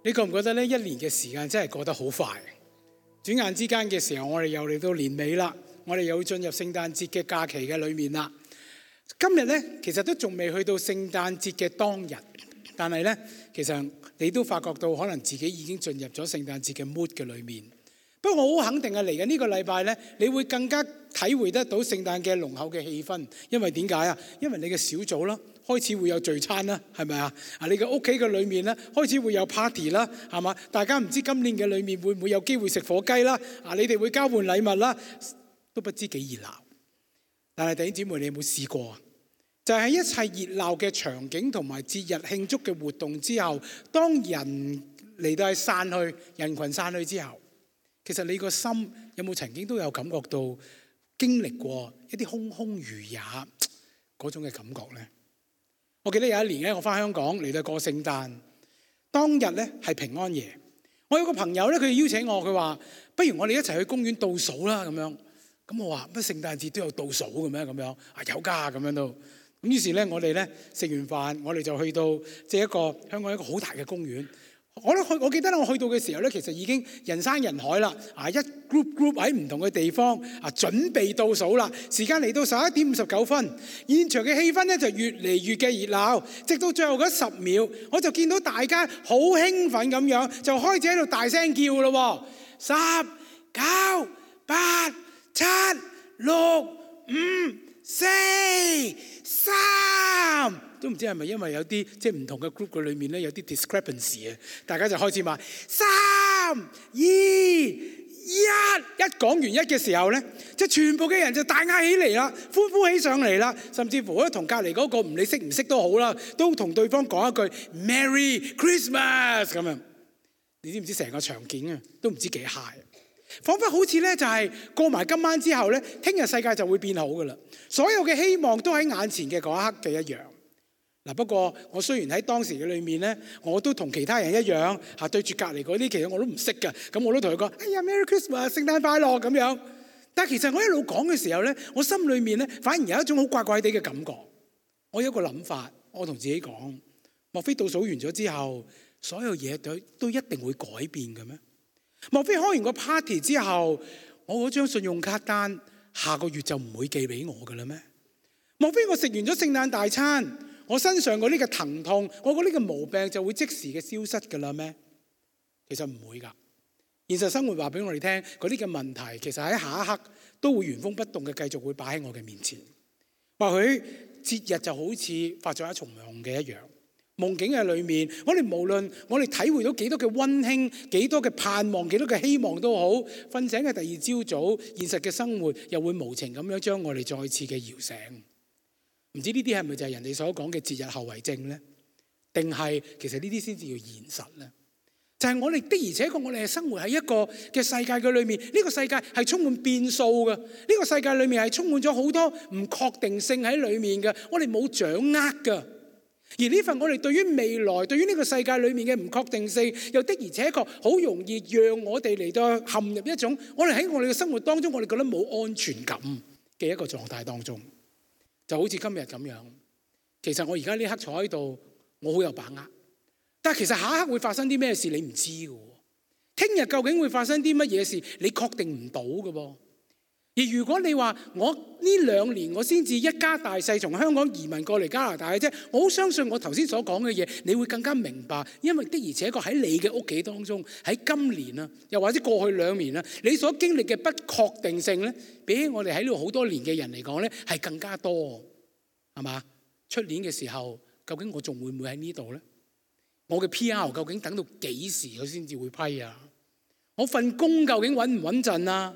你覺唔覺得呢？一年嘅時間真係過得好快，轉眼之間嘅時候，我哋又嚟到年尾啦，我哋又會進入聖誕節嘅假期嘅裏面啦。今日呢，其實都仲未去到聖誕節嘅當日，但係呢，其實你都發覺到可能自己已經進入咗聖誕節嘅 mood 嘅裏面。不過我好肯定嚟緊呢個禮拜呢，你會更加體會得到聖誕嘅濃厚嘅氣氛，因為點解啊？因為你嘅小組啦，開始會有聚餐啦，係咪啊？你嘅屋企嘅裏面咧，開始會有 party 啦，係嘛？大家唔知今年嘅裏面會唔會有機會食火雞啦？你哋會交換禮物啦，都不知幾熱鬧。但係弟兄姊妹，你有冇試過啊？就係喺一切熱鬧嘅場景同埋節日慶祝嘅活動之後，當人嚟到係散去，人群散去之後，其實你個心有冇曾經都有感覺到經歷過一啲空空如也嗰種嘅感覺呢？我記得有一年咧，我翻香港嚟到過聖誕，當日咧係平安夜。我有個朋友咧，佢邀請我，佢話：不如我哋一齊去公園倒數啦咁樣。咁我話：乜聖誕節都有倒數嘅咩？咁樣有㗎咁樣都。咁於是咧，我哋咧食完飯，我哋就去到即係一個香港一個好大嘅公園。我記得我去到嘅時候咧，其實已經人山人海啦。一 group 喺唔同嘅地方準備倒數啦。時間嚟到11:59，現場嘅氣氛咧就越嚟越嘅熱鬧，直到最後嗰10秒，我就見到大家好興奮咁樣，就開始喺度大聲叫咯。10、9、8、7、6、5、4、3。都唔知係咪因為有啲即係唔同嘅 group 嘅裏面咧有啲 discrepancy 啊，大家就開始話3、2、1，一講完一嘅時候咧，即係全部嘅人就大嗌起嚟啦，歡呼起上嚟啦，甚至乎咧同隔離嗰個唔理識唔識都好啦，都同對方講一句 Merry Christmas 咁樣。你知唔知成個場景啊都唔知幾 high，彷彿好似咧就係過埋今晚之後咧，聽日世界就會變好噶啦，所有嘅希望都喺眼前嘅嗰一刻嘅一樣。不過我雖然喺當時嘅裏面咧，我都同其他人一樣對住隔離嗰啲，其實我都唔識㗎。咁我都同佢講：哎呀 ，Merry Christmas，聖誕快樂咁樣。但係其實我一路講嘅時候咧，我心裏面咧反而有一種好怪怪地嘅感覺。我有一個諗法，我同自己講：莫非倒數完咗之後，所有嘢都一定會改變嘅咩？莫非開完個 party 之後，我嗰張信用卡單下個月就唔會寄俾我㗎啦咩？莫非我食完咗聖誕大餐，我身上嗰啲嘅疼痛，我嗰啲嘅毛病就會即時嘅消失㗎啦咩？其實唔會㗎。現實生活話俾我哋聽，嗰啲嘅問題其實喺下一刻都會原封不動嘅繼續會擺喺我嘅面前。或許節日就好似發咗一重夢嘅一樣，夢境嘅裏面，我哋無論我哋體會到幾多嘅溫馨、幾多嘅盼望、幾多嘅希望都好，瞓醒嘅第二朝早，現實嘅生活又會無情咁樣將我哋再次嘅搖醒。唔知呢啲係咪就係人哋所講嘅節日後遺症呢？定係其實呢啲先至叫現實呢？就係我哋的而且確，我哋係生活喺一個嘅世界嘅裏面，呢個世界係充滿變數嘅，呢個世界裏面係充滿咗好多唔確定性喺裏面嘅，我哋冇掌握嘅。而呢份我哋對於未來、對於呢個世界裏面嘅唔確定性，又的而且確好容易讓我哋嚟到陷入一種我哋喺我哋嘅生活當中，我哋覺得冇安全感嘅一個狀態當中。就好似今日咁樣，其實我而家呢刻坐喺度，我好有把握。但係其實下一刻會發生啲咩事，你唔知嘅。聽日究竟會發生啲乜嘢事，你確定唔到嘅噃。而如果你話我呢2年我先至一家大細從香港移民過嚟加拿大嘅啫，我好相信我頭先所講嘅嘢，你會更加明白。因為的而且確喺你嘅屋企當中，喺今年啊，又或者過去2年啊，你所經歷嘅不確定性咧，比起我哋喺呢度好多年嘅人嚟講咧，係更加多，係嘛？出年嘅時候，究竟我仲會唔會喺呢度咧？我嘅 PR 究竟等到幾時佢先至會批啊？我份工究竟穩唔穩陣啊？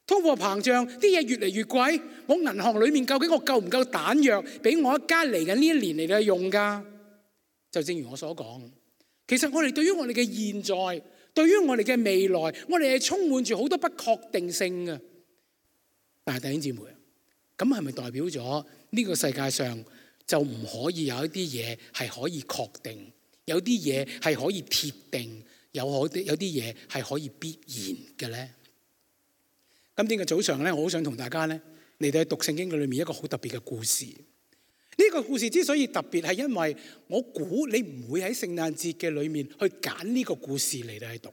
通貨膨脹，啲嘢越嚟越貴，我銀行裏面究竟我夠唔夠彈藥俾我一家嚟緊呢1年嚟到用㗎？就正如我所講，其實我哋對於我哋嘅現在，對於我哋嘅未來，我哋係充滿住好多不確定性嘅。但係弟兄姊妹，咁係咪代表咗呢個世界上就唔可以有一啲嘢係可以確定？有啲嘢係可以貼定，有啲嘢係可以必然嘅咧。今天嘅早上咧，我好想同大家咧嚟到讀聖經嘅裏面一個好特別嘅故事。呢個故事之所以特別，係因為我估你唔會喺聖誕節嘅裏面去揀呢個故事嚟到去讀，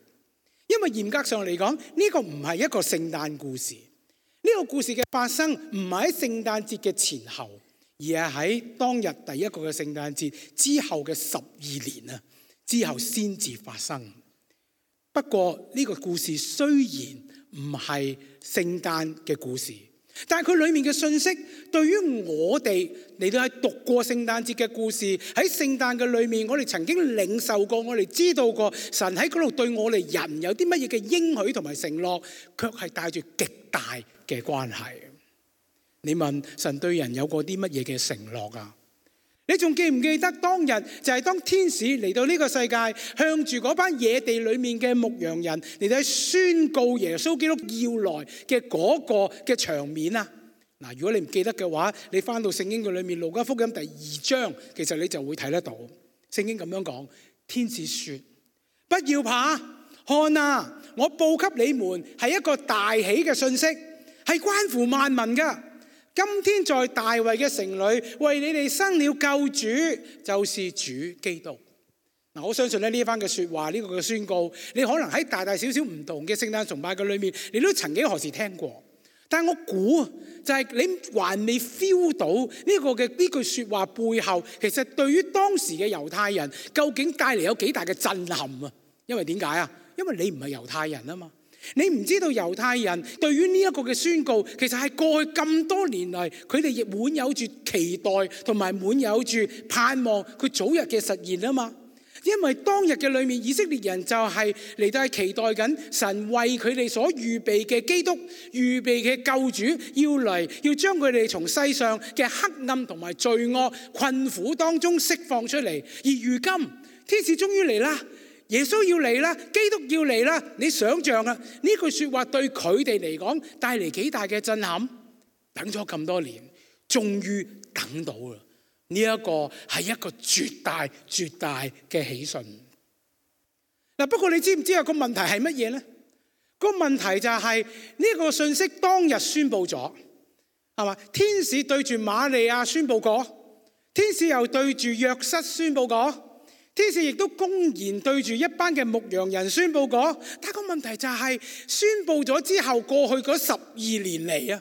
因為嚴格上嚟講，呢個唔係一個聖誕故事。呢個故事嘅發生唔係喺聖誕節嘅前後，而係喺當日第一個嘅聖誕節之後嘅12年啊之後先至發生。不過呢個故事雖然唔係聖誕嘅故事，但係佢裏面嘅信息對於我哋嚟到係讀過聖誕節嘅故事，喺聖誕嘅裏面，我哋曾經領受過，我哋知道過神喺嗰度對我哋人有啲乜嘢嘅應許同埋承諾，卻係帶住極大嘅關係。你問神對人有過啲乜嘢嘅承諾啊？你仲記唔記得當日就係當天使嚟到呢個世界，向住嗰班野地裏面嘅牧羊人嚟到宣告耶穌基督要來嘅嗰個嘅場面啊？嗱，如果你唔記得嘅話，你翻到聖經嘅裏面，路加福音第2章，其實你就會睇得到聖經咁樣講。天使說：不要怕，看啊，我報給你們係一個大喜嘅信息，係關乎萬民噶。今天在大衛嘅城裏，為你哋生了救主，就是主基督。嗱，我相信呢一番嘅說話，呢個嘅宣告，你可能喺大大小小唔同嘅聖誕崇拜嘅裏面，你都曾幾何時聽過。但係我估就係你還未 feel 到呢個嘅呢句說話背後，其實對於當時嘅猶太人，究竟帶嚟有幾大嘅震撼啊？因為點解啊？因為你唔係猶太人啊嘛。你唔知道猶太人對於呢一個嘅宣告，其實係過去咁多年嚟，佢哋亦滿有住期待同埋滿有住盼望佢早日嘅實現啊嘛。因為當日嘅裏面，以色列人就係嚟到係期待緊神為佢哋所預備嘅基督、預備嘅救主要嚟，要將佢哋從世上嘅黑暗同埋罪惡困苦當中釋放出嚟。而如今天使終於嚟啦。耶穌要嚟啦，基督要嚟啦。你想象啊，呢句說話對佢哋嚟講帶嚟幾大嘅震撼？等咗咁多年，終於等到啦。呢一個係一個絕大絕大嘅喜訊。嗱，不過你知唔知有個問題係乜嘢呢？個問題就係呢個信息當日宣布咗，係嘛？天使對住瑪利亞宣布過，天使又對住約瑟宣布過。天使亦都公然對住一班嘅牧羊人宣布過，但個問題就係宣布咗之後，過去嗰12年嚟啊，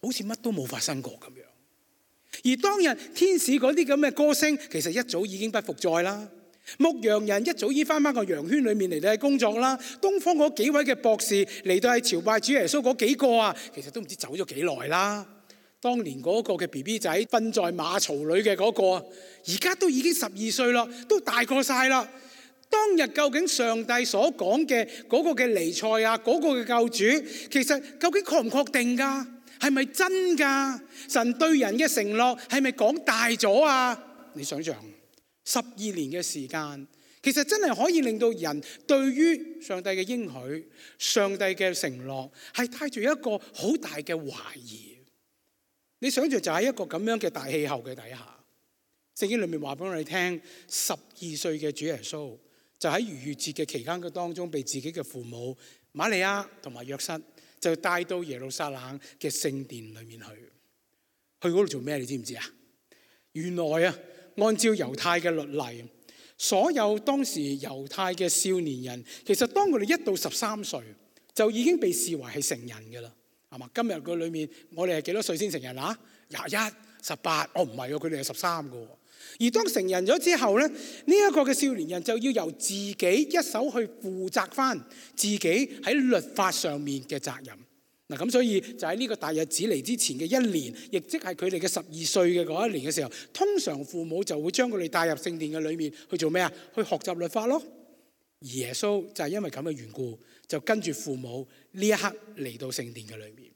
好似乜都冇發生過咁樣。而當日天使嗰啲咁嘅歌聲，其實一早已經不復在啦。牧羊人一早已翻返個羊圈裏面嚟到係工作啦。東方嗰幾位嘅博士嚟到係朝拜主耶穌嗰幾個啊，其實都唔知走咗幾耐啦。當年嗰個嘅 BB 仔瞓在馬槽裏嘅嗰個，而家都已經12歲啦，都大過晒啦。當日究竟上帝所講嘅嗰個嘅彌賽亞，嗰個嘅救主，其實究竟確唔確定㗎？係咪真㗎？神對人嘅承諾係咪講大咗啊？你想象12年嘅時間，其實真係可以令到人對於上帝嘅應許、上帝嘅承諾係帶住一個好大嘅懷疑。你想象就喺一個咁樣嘅大氣候嘅底下，聖經裏面話俾我哋聽，12歲嘅主耶穌就喺逾越節嘅期間嘅當中，被自己嘅父母瑪利亞同埋約瑟就帶到耶路撒冷嘅聖殿裏面去嗰度做咩？你知唔知啊？原來啊，按照猶太嘅律例，所有當時猶太嘅少年人，其實當佢哋1到13歲，就已經被視為係成人㗎啦。係嘛？今日個裏面，我哋係幾多歲先成人啊？21、18，哦唔係喎，佢哋係13個。而當成人咗之後咧，呢一個嘅少年人就要由自己一手去負責翻自己喺律法上面嘅責任。嗱，咁所以就喺呢個大日子嚟之前嘅1年，亦即係佢哋嘅12歲嘅嗰一年嘅時候，通常父母就會將佢哋帶入聖殿嘅裏面去做咩啊？去學習律法咯。而耶穌就係因為咁嘅緣故，就跟住父母呢一刻嚟到聖殿嘅裏面。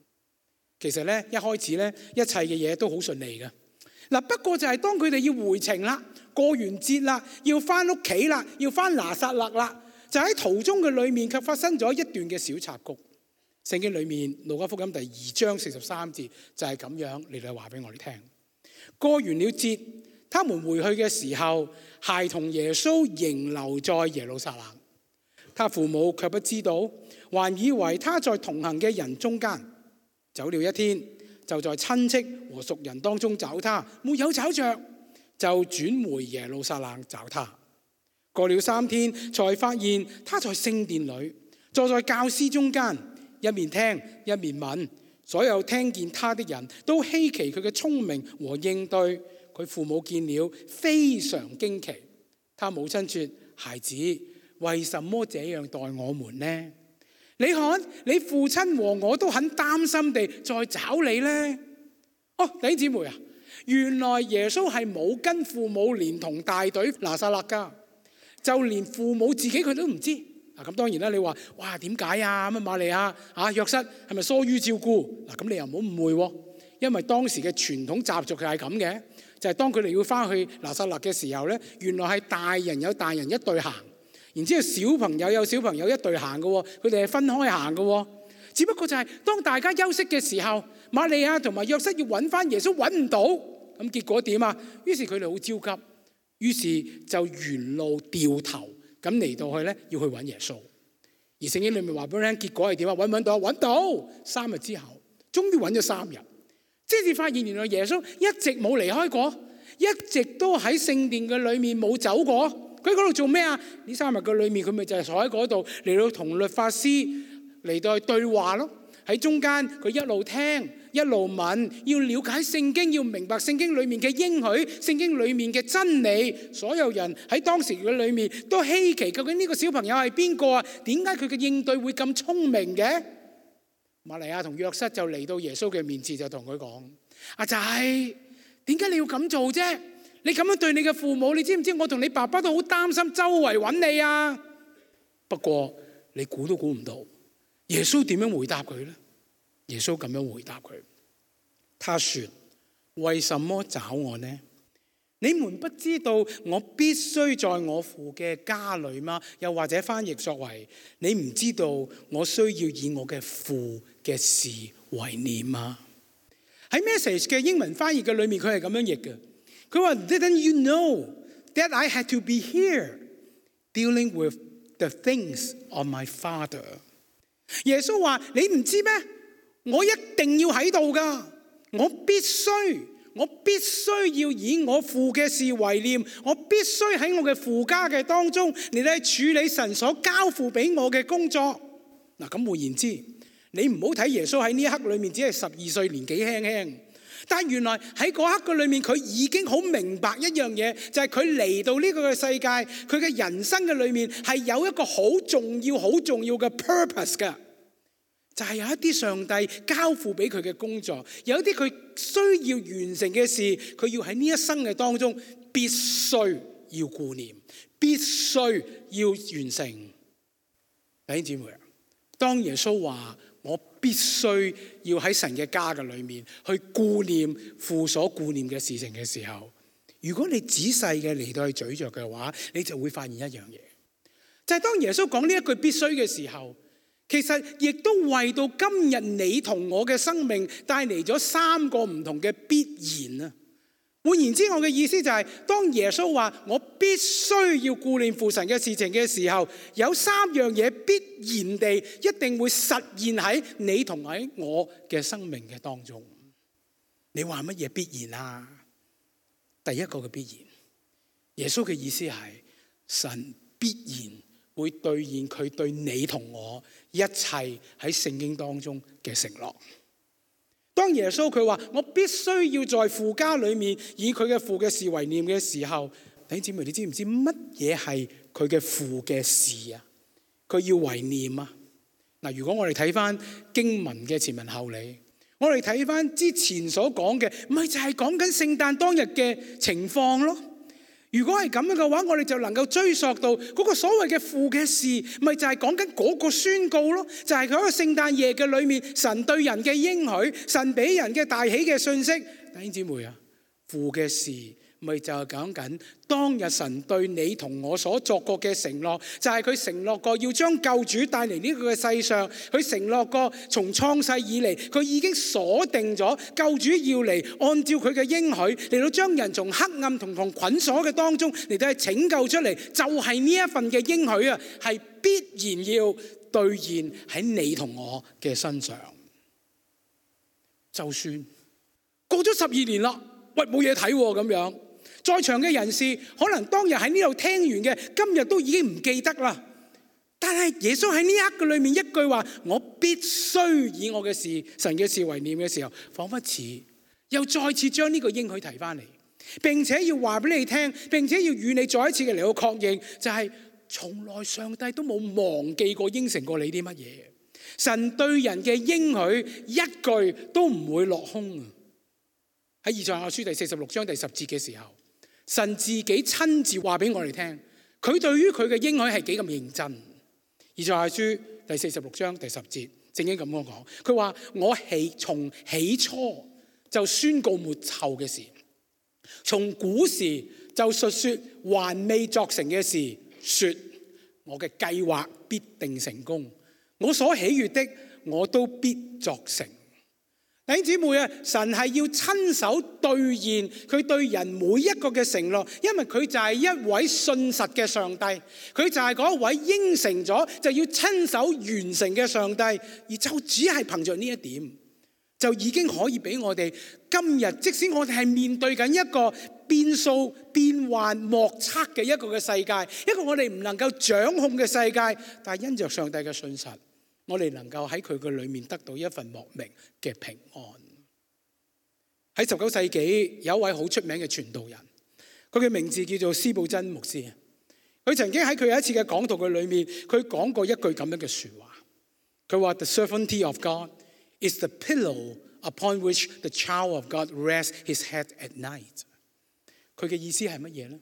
其實咧，一開始咧，一切嘅嘢都好順利嘅。嗱，不過就係當佢哋要回程啦，過完節啦，要翻屋企啦，要翻拿撒勒啦，就喺途中嘅裏面卻發生咗一段嘅小插曲。聖經裏面路加福音第2章43節就係咁樣嚟到話俾我哋聽。過完了節，他們回去嘅時候，孩童耶穌仍留在耶路撒冷。他父母卻不知道，還以為他在同行嘅人中間。走了一天，就在親戚和熟人當中找他，沒有找着，就轉回耶路撒冷找他。過了3天，才發現他在聖殿裏，坐在教師中間，一面聽一面問。所有聽見他的人都稀奇佢嘅聰明和應對。佢父母見了非常驚奇。他母親說：孩子，為什麼這樣待我們呢？你看，你父親和我都很擔心地在找你呢。弟兄姊妹啊，原來耶穌係冇跟父母連同大隊拿撒勒噶，就連父母自己佢都唔知。咁當然啦，你話哇點解啊？乜瑪利亞約瑟係咪疏於照顧？咁你又唔好誤會喎，因為當時嘅傳統習俗係咁嘅，就係當佢哋要翻去拿撒勒嘅時候咧，原來係大人有大人一隊行，然之後小朋友有小朋友一隊行嘅喎，佢哋係分開行嘅喎。只不過就係當大家休息嘅時候，瑪利亞同埋約瑟要揾翻耶穌揾唔到，咁結果點啊？於是佢哋好焦急，於是就沿路掉頭。咁嚟到去咧，要去揾耶穌。而聖經裏面話俾我聽，結果係點啊？揾到，3日之後，終於揾咗3日，即係發現原來耶穌一直冇離開過，一直都喺聖殿嘅裏面冇走過。佢喺嗰度做咩啊？呢3日嘅裏面，佢咪就係坐喺嗰度嚟到同律法師嚟到去對話咯。喺中間佢一路聽一路問，要了解聖經，要明白聖經裏面嘅應許，聖經裏面嘅真理。所有人喺當時嘅裏面都稀奇，究竟呢個小朋友係邊個啊？點解佢嘅應對會咁聰明嘅？瑪利亞同約瑟就嚟到耶穌嘅面前，就同佢講：阿仔，點解你要咁做啫？你咁樣對你嘅父母，你知唔知我同你爸爸都好擔心，周圍揾你啊？不過你估都估唔到耶穌點樣回答佢呢？耶穌咁樣回答佢，他說：為什麼找我呢？你們不知道我必須在我父嘅家裏嗎？又或者翻譯作為：你唔知道我需要以我嘅父嘅事為念嗎？喺 Message 嘅英文翻譯嘅裏面，佢係咁樣譯嘅。佢話 Didn't you know that I had to be here dealing with the things of my father？ 耶穌話：你唔知咩？我一定要喺度噶，我必須要以我父嘅事為念，我必須喺我嘅父家嘅當中嚟到處理神所交付俾我嘅工作。咁換言之，你唔好睇耶穌喺呢一刻裏面只係12歲，年紀輕輕，但係原來喺嗰刻嘅裏面，佢已經好明白一樣嘢，就係佢嚟到呢個嘅世界，佢嘅人生嘅裏面係有一個好重要嘅 purpose 㗎。就係有一啲上帝交付俾佢嘅工作，有一啲佢需要完成嘅事，佢要喺呢一生嘅當中必須要顧念，必須要完成。弟兄姊妹，當耶穌話我必須要喺神嘅家嘅裏面去顧念父所顧念嘅事情嘅時候，如果你仔細嘅嚟到去咀嚼嘅話，你就會發現一樣嘢，就係當耶穌講呢一句必須嘅時候，其實亦都為到今日你同我嘅生命帶嚟咗3個唔同嘅必然啊！換言之，我嘅意思就係，當耶穌話我必須要顧念父神嘅事情嘅時候，有3樣嘢必然地一定會實現喺你同喺我嘅生命嘅當中。你話乜嘢必然啊？第一個嘅必然，耶穌嘅意思係神必然會兌現佢對你同我一切喺聖經當中嘅承諾。當耶穌佢話我必須要在父家裏面以佢嘅父嘅事為念嘅時候，弟兄姊妹，你知唔知乜嘢係佢嘅父嘅事啊？佢要為念啊！如果我哋睇翻經文嘅前文後理，我哋睇翻之前所講嘅，咪就係講緊聖誕當日嘅情況咯。如果係咁樣嘅話，我哋就能夠追溯到嗰個所謂嘅父嘅事，咪就係講緊嗰個宣告咯，就係佢喺個聖誕夜嘅裏面，神對人嘅應許，神俾人嘅大喜嘅信息。弟兄姊妹啊，父嘅事咪就係講緊當日神對你同我所作過嘅承諾，就係佢承諾過要將救主帶嚟呢個嘅世上，佢承諾過從創世以嚟，佢已經鎖定咗救主要嚟，按照佢嘅應許嚟到將人從黑暗同捆鎖嘅當中嚟到去拯救出嚟，就係呢一份嘅應許啊，係必然要兌現喺你同我嘅身上。就算過咗12年啦，喂，冇嘢睇喎咁樣。在場嘅人士可能當日喺呢度聽完嘅，今日都已經唔記得啦。但係耶穌喺呢一刻裏面一句話，我必須以我嘅事、神嘅事為念嘅時候，彷彿似又再次將呢個應許提翻嚟，並且要話俾你聽，並且要與你再一次嘅嚟到確認，就係從來上帝都冇忘記過應承過你啲乜嘢。神對人嘅應許一句都唔會落空。喺以賽亞書第46章第10節嘅時候，神自己親自話俾我哋聽，佢對於佢嘅應許係幾咁認真。以賽亞書第46章第10節正經咁樣講，佢話我從起初就宣告末後嘅事，從古時就述說還未作成嘅事，說我嘅計劃必定成功，我所喜悅的我都必作成。弟兄姊妹啊，神係要親手兌現佢對人每一個嘅承諾，因為佢就係一位信實嘅上帝，佢就係嗰一位應承咗就要親手完成嘅上帝，而就只係憑着呢一點，就已經可以俾我哋今日，即使我哋係面對緊一個變數、變幻莫測嘅一個嘅世界，一個我哋唔能夠掌控嘅世界，但係因着上帝嘅信實，我哋能夠喺佢嘅裏面得到一份莫名嘅平安。喺19世紀有一位好出名嘅傳道人，佢嘅名字叫做司布真牧師。佢曾經喺佢有一次嘅講道嘅裏面，佢講過一句咁樣嘅說話。佢話 The sovereignty of God is the pillow upon which the child of God rests his head at night。佢嘅意思係乜嘢呢？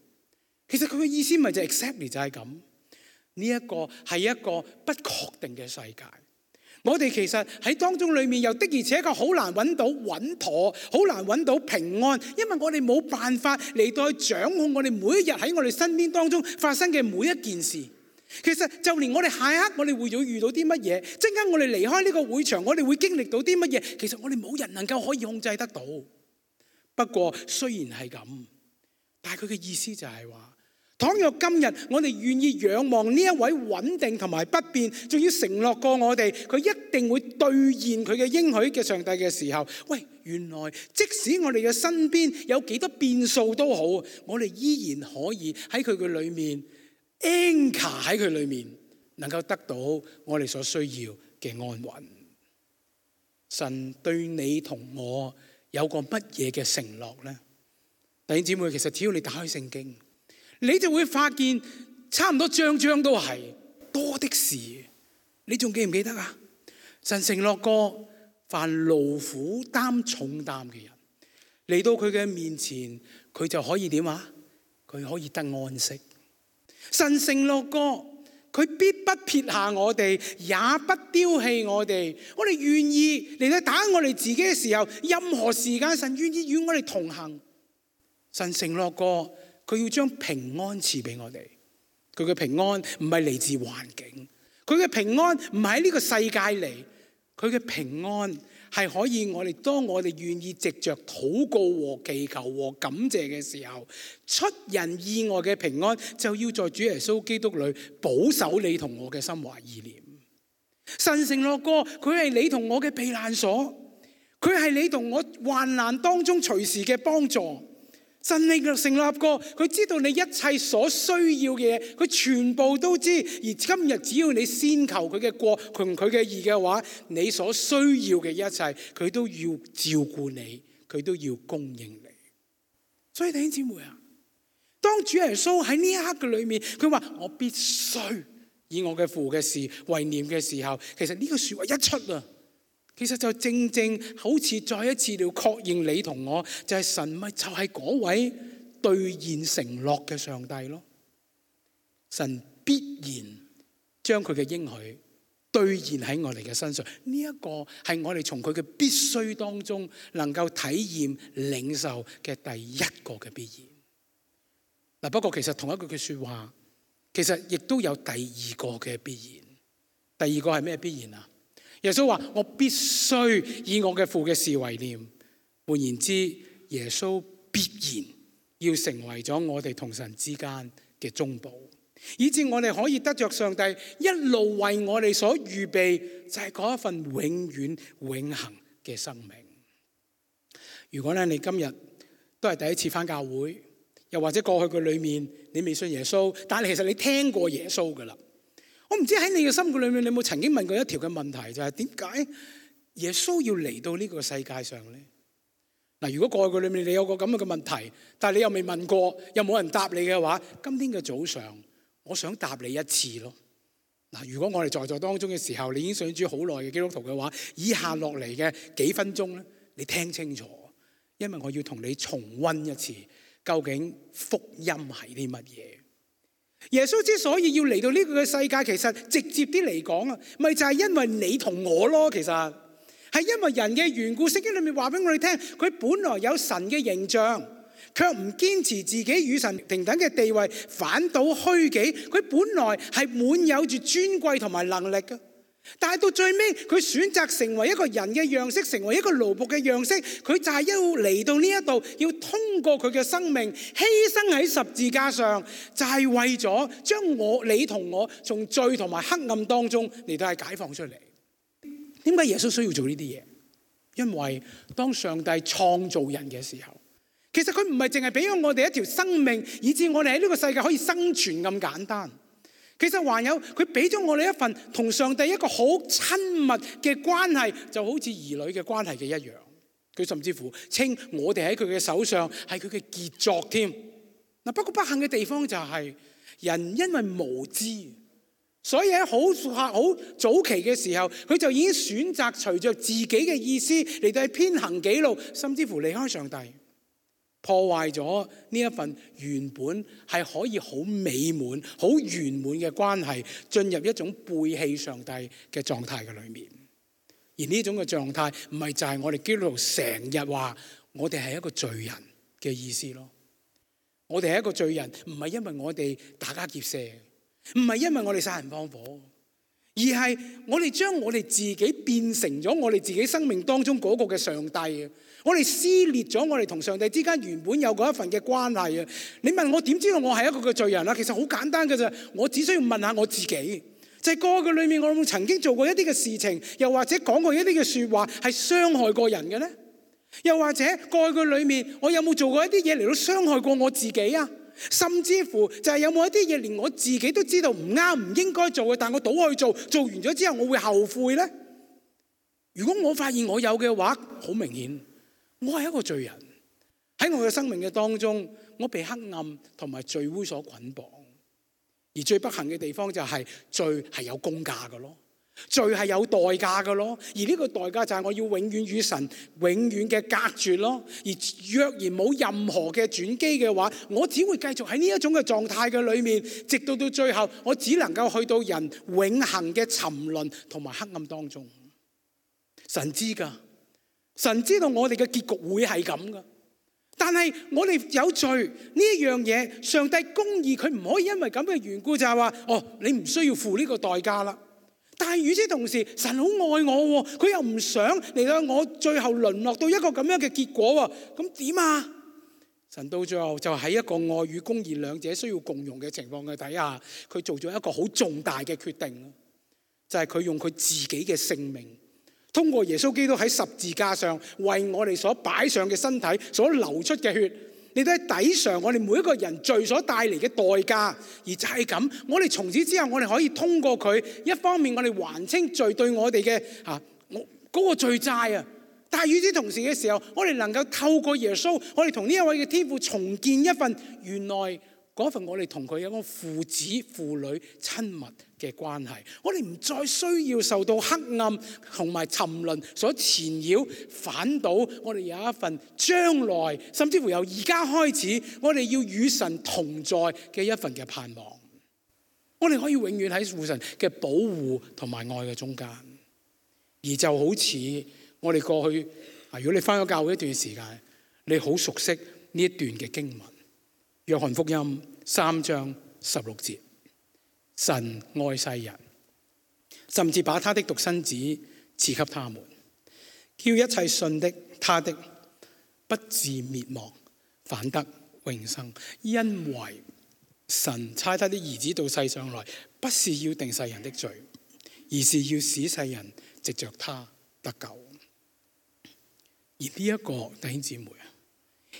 其實佢嘅意思咪就 exactly 就係咁。呢一個係一個不確定嘅世界，我哋其實喺當中裏面又的而且確好難揾到穩妥，好難揾到平安，因為我哋冇辦法嚟到去掌控我哋每一日喺我哋身邊當中發生嘅每一件事。其實就連我哋下一刻我哋會遇到啲乜嘢，陣間我哋離開呢個會場，我哋會經歷到啲乜嘢，其實我哋冇人能夠可以控制得到。不過雖然係咁，但係佢嘅意思就係話，倘若今日我哋願意仰望呢一位穩定同埋不變，仲要承諾過我哋，佢一定會兌現佢嘅應許嘅上帝嘅時候，喂，原來即使我哋嘅身邊有幾多變數都好，我哋依然可以喺佢嘅裏面 anchor 喺佢裏面，能夠得到我哋所需要嘅安穩。神對你同我有個乜嘢嘅承諾呢？弟兄姊妹，其實只要你打開聖經，你就會發現差唔多章章都係多的是。你仲記唔記得啊？神承諾過，凡勞苦擔重擔嘅人嚟到佢嘅面前，佢就可以點啊？佢可以得安息。神承諾過，佢必不撇下我哋，也不丟棄我哋。我哋願意嚟到打我哋自己嘅時候，任何時間神願意與我哋同行。神承諾過，佢要將平安賜俾我哋。佢嘅平安唔係嚟自環境，佢嘅平安唔係喺呢個世界嚟，佢嘅平安係可以我哋當我哋願意藉着禱告和祈求和感謝嘅時候，出人意外嘅平安就要在主耶穌基督裏保守你同我嘅心懷意念。神承諾過，佢係你同我嘅避難所，佢係你同我患難當中隨時嘅幫助。神你成立過，佢知道你一切所需要嘅嘢，佢全部都知。而今日只要你先求佢嘅國同佢嘅義嘅話，你所需要嘅一切，佢都要照顧你，佢都要供應你。所以弟兄姊妹啊，當主耶穌喺呢一刻嘅裏面，佢話我必須以我嘅父嘅事為念嘅時候，其實呢個說話一出啊，其實就正正好似再一次要確認你同我就係神咪就係嗰位兌現承諾嘅上帝咯。神必然將佢嘅應許兌現喺我哋嘅身上，呢一個係我哋從佢嘅必須當中能夠體驗領受嘅第一個嘅必然。不過其實同一句說話，其實亦都有第二個嘅必然。第二個係咩必然啊？耶穌話我必須以我嘅父嘅事為念。換言之，耶穌必然要成為咗我哋同神之間嘅中保，以致我哋可以得着上帝一路為我哋所預備，就係嗰一份永遠永恆嘅生命。如果咧你今日都係第一次返教會，又或者過去嘅裏面你未信耶穌，但係其實你聽過耶穌噶啦。我唔知喺你嘅心裏面，你有冇曾經問過一條嘅問題，就係點解耶穌要嚟到呢個世界上咧？嗱，如果過去嘅裏面你有個咁嘅問題，但係你又未問過，又冇人答你嘅話，今天嘅早上，我想答你一次咯。嗱，如果我哋在座當中嘅時候，你已經信主好耐嘅基督徒嘅話，以下落嚟嘅幾分鐘咧，你聽清楚，因為我要同你重溫一次，究竟福音係啲乜嘢？耶穌之所以要嚟到呢個嘅世界，其實直接啲嚟講啊，咪就係因為你同我咯。其實係因為人嘅緣故。聖經裏面話俾我哋聽，佢本來有神嘅形象，卻唔堅持自己與神平等嘅地位，反倒虛己。佢本來係滿有住尊貴同埋能力嘅，但係到最尾佢選擇成為一個人嘅樣式，成為一個奴僕嘅樣式。佢就係要嚟到呢一度，要通過佢嘅生命犧牲喺十字架上，就係為咗將你同我從罪同埋黑暗當中嚟到係解放出嚟。點解耶穌需要做呢啲嘢？因為當上帝創造人嘅時候，其實佢唔係淨係俾咗我哋一條生命，以致我哋喺呢個世界可以生存咁簡單。其實還有佢俾咗我哋一份同上帝一個好親密嘅關係，就好似兒女嘅關係嘅一樣。佢甚至乎稱我哋喺佢嘅手上係佢嘅傑作添。嗱，不過不幸嘅地方就係人因為無知，所以喺好早期嘅時候，佢就已經選擇隨着自己嘅意思嚟到去偏行己路，甚至乎離開上帝，破壞咗呢一份原本係可以好美滿、好圓滿嘅關係，進入一種背棄上帝嘅狀態嘅裏面。而呢種嘅狀態，唔係就係我哋基督徒成日話我哋係一個罪人嘅意思咯。我哋係一個罪人，唔係因為我哋打家劫舍，唔係因為我哋殺人放火，而係我哋將我哋自己變成咗我哋自己生命當中嗰個嘅上帝。我哋撕裂咗我哋同上帝之間原本有嗰一份嘅關係啊！你問我點知道我係一個嘅罪人啊？其實好簡單嘅啫，我只需要問下我自己，就係過去裏面我有冇曾經做過一啲嘅事情，又或者講過一啲嘅說話係傷害過人嘅呢？又或者過去裏面我有冇做過一啲嘢嚟到傷害過我自己啊？甚至乎就係有冇一啲嘢連我自己都知道唔啱、唔應該做嘅，但我倒去做，做完咗之後我會後悔呢？如果我發現我有嘅話，好明顯我係一個罪人。喺我嘅生命嘅當中，我被黑暗同埋罪污所捆綁。而最不幸嘅地方就係罪係有工價嘅咯，罪係有代價嘅咯。而呢個代價就係我要永遠與神永遠嘅隔絕咯。而若然冇任何嘅轉機嘅話，我只會繼續喺呢一種嘅狀態嘅裏面，直到最後，我只能夠去到人永恆嘅沉淪同埋黑暗當中。神知㗎，神知道我哋嘅結局會係咁㗎。但係我哋有罪呢一樣嘢，上帝公義，佢唔可以因為咁嘅緣故就係話，你唔需要付呢個代價啦。但係與此同時，神好愛我，佢又唔想嚟到我最後淪落到一個咁樣嘅結果。咁點啊？神到最後就喺一個愛與公義兩者需要共融嘅情況嘅底下，佢做咗一個好重大嘅決定，就係佢用佢自己嘅性命，通過耶穌基督喺十字架上為我哋所擺上嘅身體所流出嘅血，你都喺抵償我哋每一個人罪所帶嚟嘅代價。而就係咁，我哋從此之後，我哋可以通過佢，一方面我哋還清罪對我哋嘅嗰個罪債啊，但係與此同時嘅時候，我哋能夠透過耶穌，我哋同呢一位嘅天父重建一份原來嗰份我哋同佢有個父子父女親密嘅關係。我哋唔再需要受到黑暗同埋沉淪所纏繞，反倒我哋有一份將來，甚至乎由而家開始，我哋要與神同在嘅一份嘅盼望。我哋可以永遠喺父神嘅保護同埋愛嘅中間。而就好似我哋過去，如果你返咗教會一段時間，你好熟悉呢一段嘅經文，約翰福音3章16節，神愛世人，甚至把他的獨生子賜給他們，叫一切信的他的不至滅亡，反得永生。因為神差他的兒子到世上來，不是要定世人的罪，而是要使世人藉着他得救。而呢一個弟兄姊妹啊，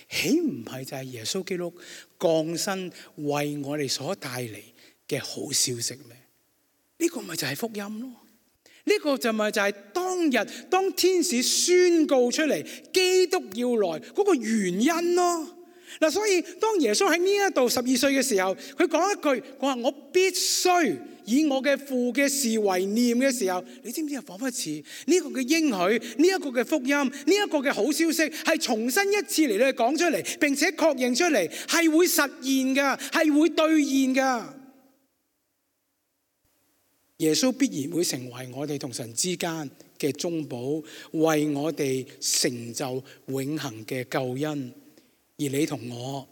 豈唔係就係耶穌基督降生為我哋所帶嚟嘅好消息咩？呢個咪就係福音咯。呢個就咪就係當日當天使宣告出嚟基督要來嗰個原因咯。嗱，所以當耶穌喺呢一度12歲嘅時候，佢講一句，佢話我必須以我嘅父嘅事為念嘅時候，你知唔知啊？彷彿似呢個嘅應許，呢一個嘅福音，呢一個嘅好消息，係重新一次嚟到講出嚟，並且確認出嚟，係會實現㗎，係會兌現㗎。耶穌必然會成為我哋同神之間嘅中保，為我哋成就永恆嘅救恩。而你同我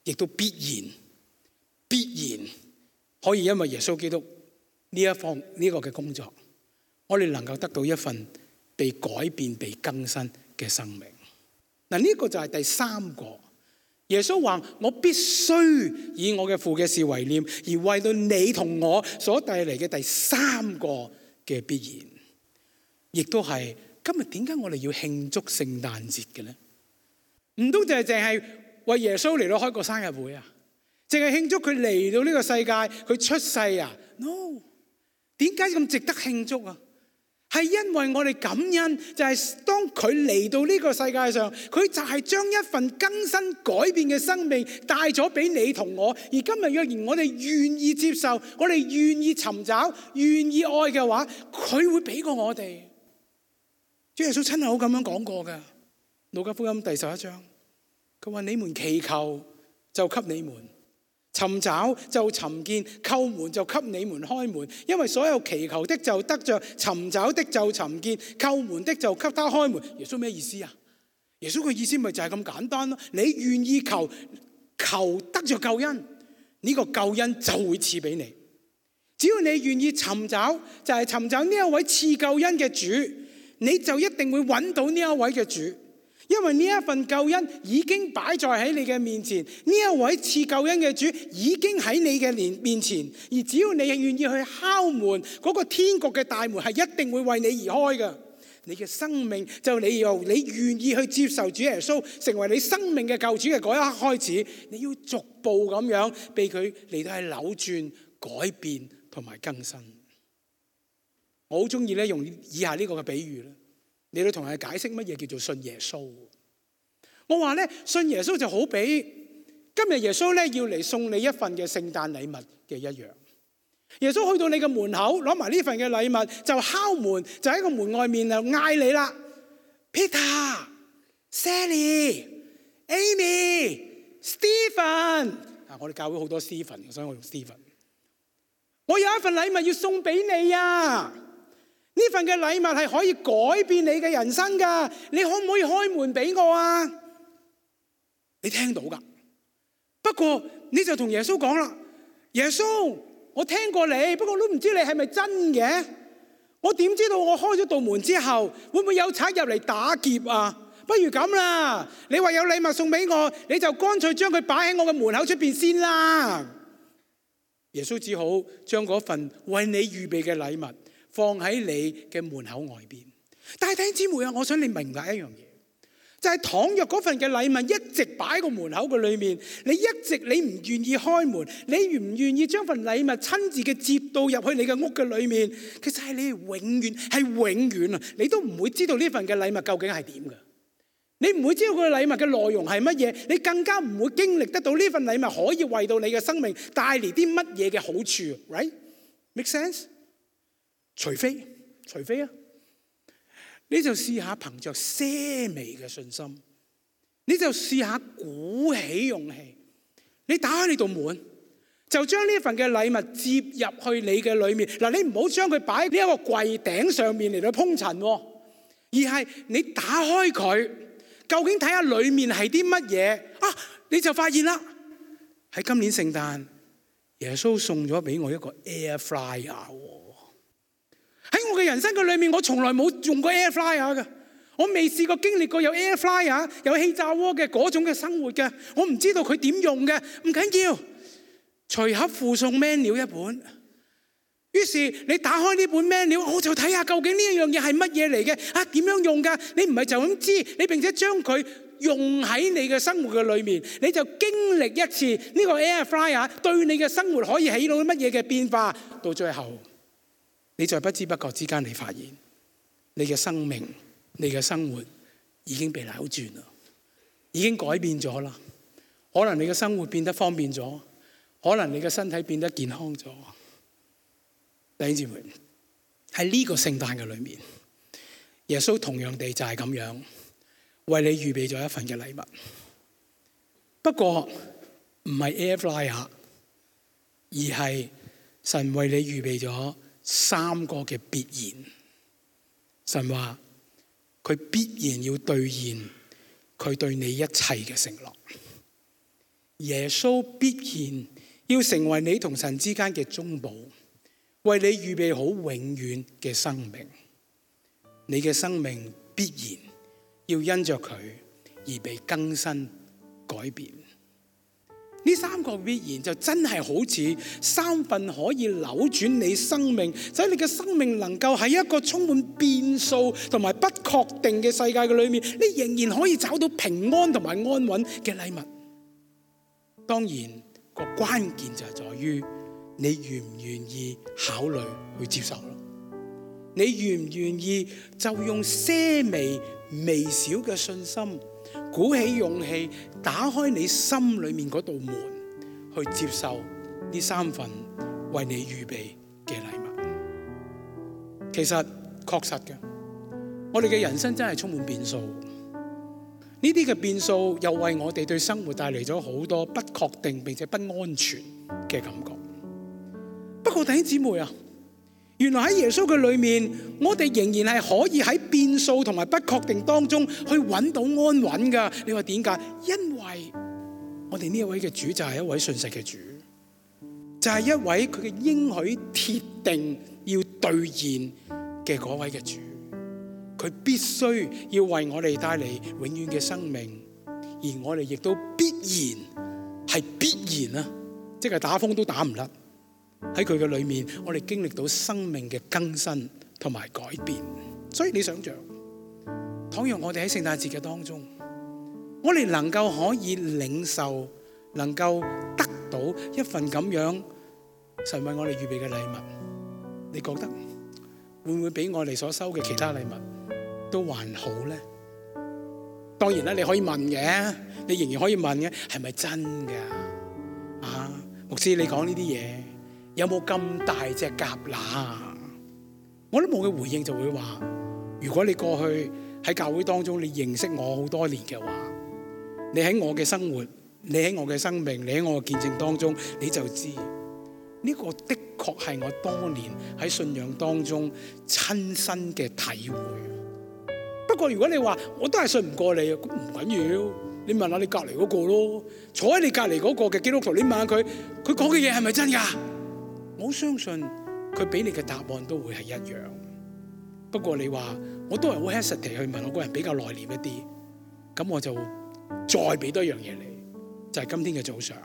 亦都必然可以因為耶穌基督呢一方呢個嘅工作，我哋能夠得到一份被改變、被更新嘅生命。嗱，呢個就係第三個。耶穌話：我必須以我嘅父嘅事為念，而為到你同我所帶嚟嘅第三個嘅必然，亦都係今日點解我哋要慶祝聖誕節嘅咧？唔通淨係為耶穌嚟到開個生日會啊？淨係慶祝佢嚟到呢個世界，佢出世啊 ？No， 點解咁值得慶祝啊？係因為我哋感恩，就係當佢嚟到呢個世界上，佢就係將一份更新改變嘅生命帶咗俾你同我。而今日若然我哋願意接受，我哋願意尋找、願意愛嘅話，佢會俾過我哋。主耶穌親口咁樣講過嘅，《路加福音》第11章，佢話：你們祈求就給你們，尋找就尋見，叩門就給你們開門。因為所有祈求的就得着，尋找的就尋見，叩門的就給他開門。耶穌咩意思啊？耶穌嘅意思咪就係咁簡單咯。你願意求，求得着救恩，呢個救恩就會賜俾你。只要你願意尋找，就係尋找呢一位賜救恩嘅主，你就一定會揾到呢一位嘅主。因為呢一份救恩已經擺在喺你嘅面前，呢一位賜救恩嘅主已經喺你嘅面前，而只要你願意去敲門，嗰個天國嘅大門係一定會為你而開嘅。你嘅生命就你願意去接受主耶穌成為你生命嘅救主嘅嗰一刻開始，你要逐步咁樣被佢嚟到係扭轉、改變同埋更新。我好中意咧用以下呢個嘅比喻咧，你都同人解釋乜嘢叫做信耶穌。我話咧，信耶穌就好比今日耶穌咧要嚟送你一份嘅聖誕禮物嘅一樣。耶穌去到你嘅門口，攞埋呢份嘅禮物就敲門，就喺個門外面就嗌你啦 ：Peter、Sally、Amy、Stephen。我哋教會好多 Stephen， 所以我用 Stephen。我有一份禮物要送俾你啊！呢份嘅禮物係可以改變你嘅人生噶，你可唔可以開門俾我啊？你聽到噶，不過你就同耶穌講啦：耶穌，我聽過你，不過都唔知你係咪真嘅。我點知道我開咗道門之後，會唔會有賊入嚟打劫啊？不如咁啦，你話有禮物送俾我，你就乾脆將佢擺喺我嘅門口出邊先啦。耶穌只好將嗰份為你預備嘅禮物放喺你嘅門口外邊。但係弟兄姊妹啊，我想你明白一樣嘢，就係倘若嗰份嘅禮物一直擺喺個門口嘅裏面，你唔願意開門，你唔願意將份禮物親自嘅接到入去你嘅屋嘅裏面，其實係你永遠啊，你都唔會知道呢份嘅禮物究竟係點㗎。你唔會知道佢嘅禮物嘅內容係乜嘢，你更加唔會經歷得到呢份禮物可以為到你嘅生命帶嚟啲乜嘢嘅好處 ，right? Make sense？ 除非啊，你就試下憑着些微嘅信心，你就試下鼓起勇氣，你打開你道門，就將呢份嘅禮物接入去你嘅裏面。嗱，你唔好將佢擺喺呢一個櫃頂上面嚟到鋪塵，而係你打開佢。究竟睇下裏面係啲乜嘢啊？你就發現啦，喺今年聖誕，耶穌送咗俾我一個 air fryer。喺我嘅人生嘅裏面，我從來冇用過 air fryer 嘅，我未試過經歷過有 air fryer 有氣炸鍋嘅嗰種嘅生活嘅，我唔知道佢點用嘅。唔緊要，隨盒附送 menu 一本。於是你打開呢本 manual，我就睇下究竟呢一樣嘢係乜嘢嚟嘅，點樣用㗎？你唔係就咁知，你並且將佢用喺你嘅生活嘅裏面，你就經歷一次呢個 air fryer 對你嘅生活可以起到乜嘢嘅變化。到最後，你在不知不覺之間，你發現你嘅生命、你嘅生活已經被扭轉啦，已經改變咗啦。可能你嘅生活變得方便咗，可能你嘅身體變得健康咗。弟兄姊妹，喺呢個聖誕嘅裏面，耶穌同樣地就係咁樣為你預備咗一份嘅禮物。不過唔係 air fryer， 而係神為你預備咗3個嘅必然。神話佢必然要兌現佢對你一切嘅承諾。耶穌必然要成為你同神之間嘅中保，為你預備好永遠嘅生命。你嘅生命必然要因着佢而被更新改變。呢3個必然就真係好似3份可以扭轉你生命，使你嘅生命能夠喺一個充滿變數同埋不確定嘅世界嘅裏面，你仍然可以找到平安同埋安穩嘅禮物。當然個關鍵就係在於你願唔願意考慮去接受咯？你願唔願意就用些微小嘅信心，鼓起勇氣，打開你心裏面嗰道門，去接受呢3份為你預備嘅禮物？其實確實嘅，我哋嘅人生真係充滿變數。呢啲嘅變數又為我哋對生活帶嚟咗好多不確定並且不安全嘅感覺。不過弟兄姊妹啊，原來喺耶穌嘅裏面，我哋仍然係可以喺變數同埋不確定當中去揾到安穩噶。你話點解？因為我哋呢一位嘅主就係一位信實嘅主，就係一位佢嘅應許鐵定要兌現嘅嗰位嘅主。佢必須要為我哋帶嚟永遠嘅生命，而我哋亦都必然啊，即係打風都打唔甩。喺佢嘅裏面，我哋經歷到生命嘅更新同埋改變。所以你想象，倘若我哋喺聖誕節嘅當中，我哋能夠可以領受，能夠得到一份咁樣神為我哋預備嘅禮物，你覺得會唔會比我哋所收嘅其他禮物都還好呢？當然啦，你可以問嘅，你仍然可以問嘅，係咪真㗎？牧師你講呢啲嘢有冇咁大隻蛤乸？我都冇嘅回應就會話，如果你過去喺教會當中你認識我好多年嘅話，你喺我嘅生活，你喺我嘅生命，你喺我嘅見證當中，你就知呢個的確係我多年喺信仰當中親身嘅體會。不過如果你話我都係信唔過你，咁唔緊要，你問下你隔離嗰個咯，坐喺你隔離嗰個嘅基督徒，你問下佢講嘅嘢係咪真㗎？我相信佢俾你嘅答案都會係一樣。不過你話我都係好 hesitate 去問，我個人比較內斂一啲，咁我就再俾多一樣嘢你，就係今天嘅早上，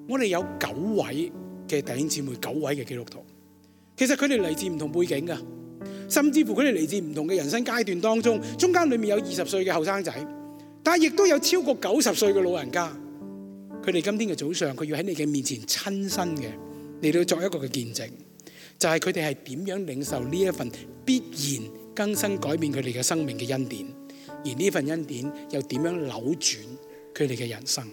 我哋有9位嘅弟兄姊妹，9位嘅基督徒，其實佢哋嚟自唔同背景㗎，甚至乎佢哋嚟自唔同嘅人生階段當中，中間裏面有20歲嘅後生仔，但係亦都有超過90歲嘅老人家。佢哋今天嘅早上，佢要喺你嘅面前親身嘅嚟到作一個嘅見證，就係佢哋係點樣領受呢一份必然更新改變佢哋嘅生命嘅恩典，而呢份恩典又點樣扭轉佢哋嘅人生。